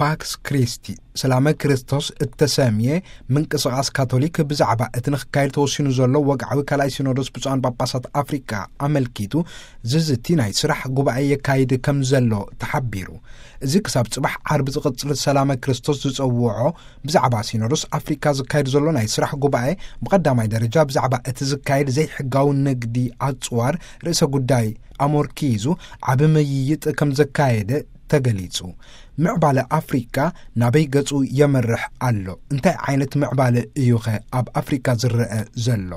ፓክስ ክሪስቲ፣ ሰላመ ክርስቶስ እተሰምየ ምንቅስቓስ ካቶሊክ ብዛዕባ እቲ ንኽካየድ ተወሲኑ ዘሎ ወግዓዊ ካልኣይ ሲኖዶስ ብፁዓን ጳጳሳት ኣፍሪቃ ኣመልኪቱ ዝዝቲ ናይ ስራሕ ጉባኤ የካይድ ከም ዘሎ ተሓቢሩ። እዚ ክሳብ ጽባሕ ዓርቢ ዝቕጽል ሰላመ ክርስቶስ ዝጸውዖ ብዛዕባ ሲኖዶስ ኣፍሪካ ዝካየድ ዘሎ ናይ ስራሕ ጉባኤ ብቐዳማይ ደረጃ ብዛዕባ እቲ ዝካየድ ዘይሕጋዊ ንግዲ ኣጽዋር ርእሰ ጉዳይ ኣሞርኪዙ ዓቢ ምይይጥ ከም ዘካየደ ተገሊጹ። ምዕባለ ኣፍሪካ ናበይ ገጹ የምርሕ ኣሎ? እንታይ ዓይነት ምዕባለ እዩኸ ኣብ ኣፍሪካ ዝረአ ዘሎ?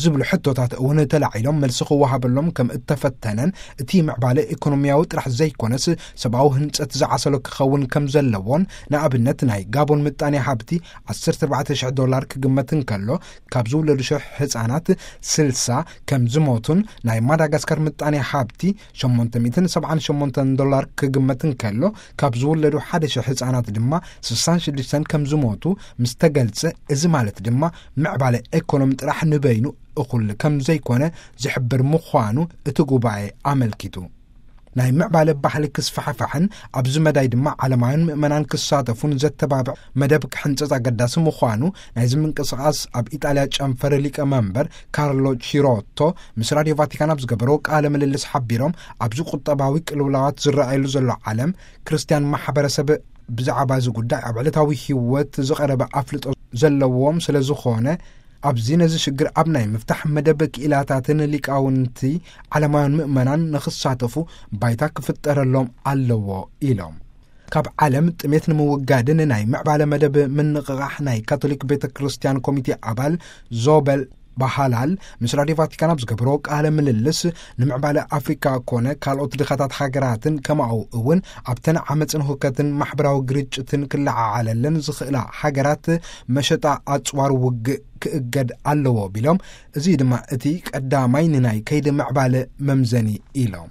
ዝብሉ ሕቶታት እውን ተላዒሎም መልሲ ክወሃበሎም ከም እተፈተነን፣ እቲ ምዕባለ ኢኮኖሚያዊ ጥራሕ ዘይኮነስ ሰብኣዊ ህንጸት ዝዓሰሎ ክኸውን ከም ዘለዎን፣ ንኣብነት ናይ ጋቦን ምጣኔ ሃብቲ ዓሰርተ ኣርባዕተ ሽሕ ዶላር ክግመት እንከሎ፣ ካብ ዝውለዱ ሽሕ ህጻናት ስልሳ ከም ዝሞቱን፣ ናይ ማዳጋስካር ምጣኔ ሃብቲ ሸሞንተ ሚእትን ሰብዓን ሸሞንተን ዶላር ክግመት እንከሎ፣ ካብ ዝውለዱ ሓደ ሽሕ ህጻናት ድማ ስሳን ሽዱሽተን ከም ዝሞቱ ምስ ተገልጸ፣ እዚ ማለት ድማ ምዕባለ ኤኮኖሚ ጥራሕ ንበይኑ እኹል ከም ዘይኮነ ዝሕብር ምዃኑ እቲ ጉባኤ ኣመልኪቱ። ናይ ምዕባለ ባህሊ ክስፋሕፋሕን ኣብዚ መዳይ ድማ ዓለማውያን ምእመናን ክሳተፉን ዘተባብዕ መደብ ክሕንጸጽ ኣገዳሲ ምዃኑ ናይዚ ምንቅስቓስ ኣብ ኢጣልያ ጨንፈር ሊቀ መንበር ካርሎ ቺሮቶ ምስ ራድዮ ቫቲካን ኣብ ዝገበሮ ቃለ ምልልስ ሓቢሮም፣ ኣብዚ ቁጠባዊ ቅልውላዋት ዝረኣየሉ ዘሎ ዓለም፣ ክርስትያን ማሕበረሰብ ብዛዕባ እዚ ጉዳይ ኣብ ዕለታዊ ህይወት ዝቐረበ ኣፍልጦ ዘለዎም ስለ ዝኾነ፣ ኣብዚ ነዚ ሽግር ኣብ ናይ ምፍታሕ መደብ ክኢላታትን ሊቃውንቲ ዓለማውያን ምእመናን ንኽሳተፉ ባይታ ክፍጠረሎም ኣለዎ ኢሎም። ካብ ዓለም ጥሜት ንምውጋድን ናይ ምዕባለ መደብ ምንቕቓሕ ናይ ካቶሊክ ቤተ ክርስቲያን ኮሚቴ ኣባል ዞበል ባሃላል ምስ ራድዮ ቫቲካን ኣብ ዝገብሮ ቃለ ምልልስ፣ ንምዕባለ ኣፍሪካ ኮነ ካልኦት ድኻታት ሃገራትን ከማኡ እውን ኣብተን ዓመፅን ሁከትን ማሕበራዊ ግርጭትን ክለዓዓለለን ዝኽእላ ሃገራት መሸጣ ኣፅዋር ውግእ ክእገድ ኣለዎ ቢሎም፣ እዚ ድማ እቲ ቀዳማይ ንናይ ከይዲ ምዕባለ መምዘኒ ኢሎም።